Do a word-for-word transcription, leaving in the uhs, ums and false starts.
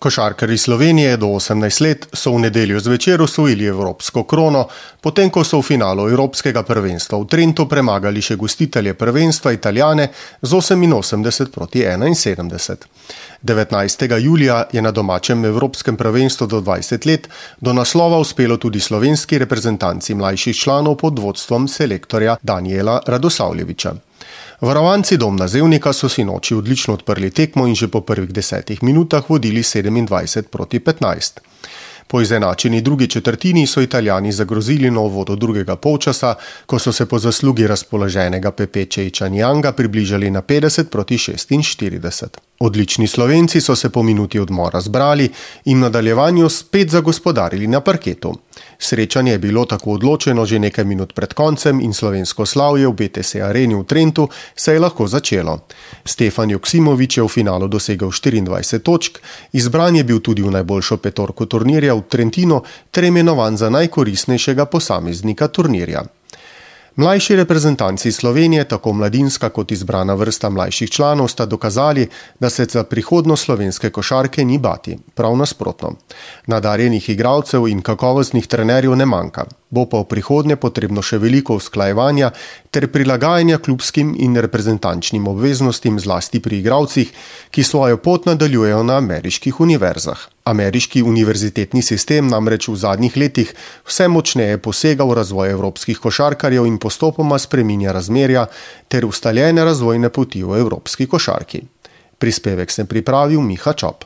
Košarkarji Slovenije do osemnajst let so v nedeljo zvečer osvojili evropsko krono, potem ko so v finalu evropskega prvenstva v Trentu premagali še gostitelje prvenstva Italijane z oseminosemdeset proti enainsedemdeset. devetnajstega julija je na domačem evropskem prvenstvu do dvajset let do naslova uspelo tudi slovenski reprezentanci mlajših članov pod vodstvom selektorja Danijela Radosavljevića. Varovanci Domna Zevnika so sinoči odlično odprli tekmo in že po prvih desetih minutah vodili sedemindvajset proti petnajst. Po izenačeni drugi četrtini so Italijani zagrozili na uvodu drugega polčasa, ko so se po zaslugi razpoloženega Pepeče Ičanjanga približali na petdeset proti šestinštirideset. Odlični Slovenci so se po minuti odmora zbrali in v nadaljevanju spet zagospodarili na parketu. Srečanje je bilo tako odločeno že nekaj minut pred koncem in slovensko slavje v B T S areni v Trentu se je lahko začelo. Stefan Joksimović je v finalu dosegel štiriindvajset točk, izbran je bil tudi v najboljšo petorko turnirja v Trentinu ter imenovan za najkoristnejšega posameznika turnirja. Mlajši reprezentanci Slovenije, tako mladinska kot izbrana vrsta mlajših članov, sta dokazali, da se za prihodnost slovenske košarke ni bati. Prav nasprotno. Nadarjenih igralcev in kakovostnih trenerjev ne manjka. Bo pa v prihodnje potrebno še veliko usklajevanja ter prilagajanja klubskim in reprezentančnim obveznostim zlasti pri igralcih, ki svojo pot nadaljujejo na ameriških univerzah. Ameriški univerzitetni sistem namreč v zadnjih letih vse močneje posega v razvoj evropskih košarkarjev in postopoma spreminja razmerja ter ustaljene razvojne poti v evropski košarki. Prispevek sem pripravil Miha Čop.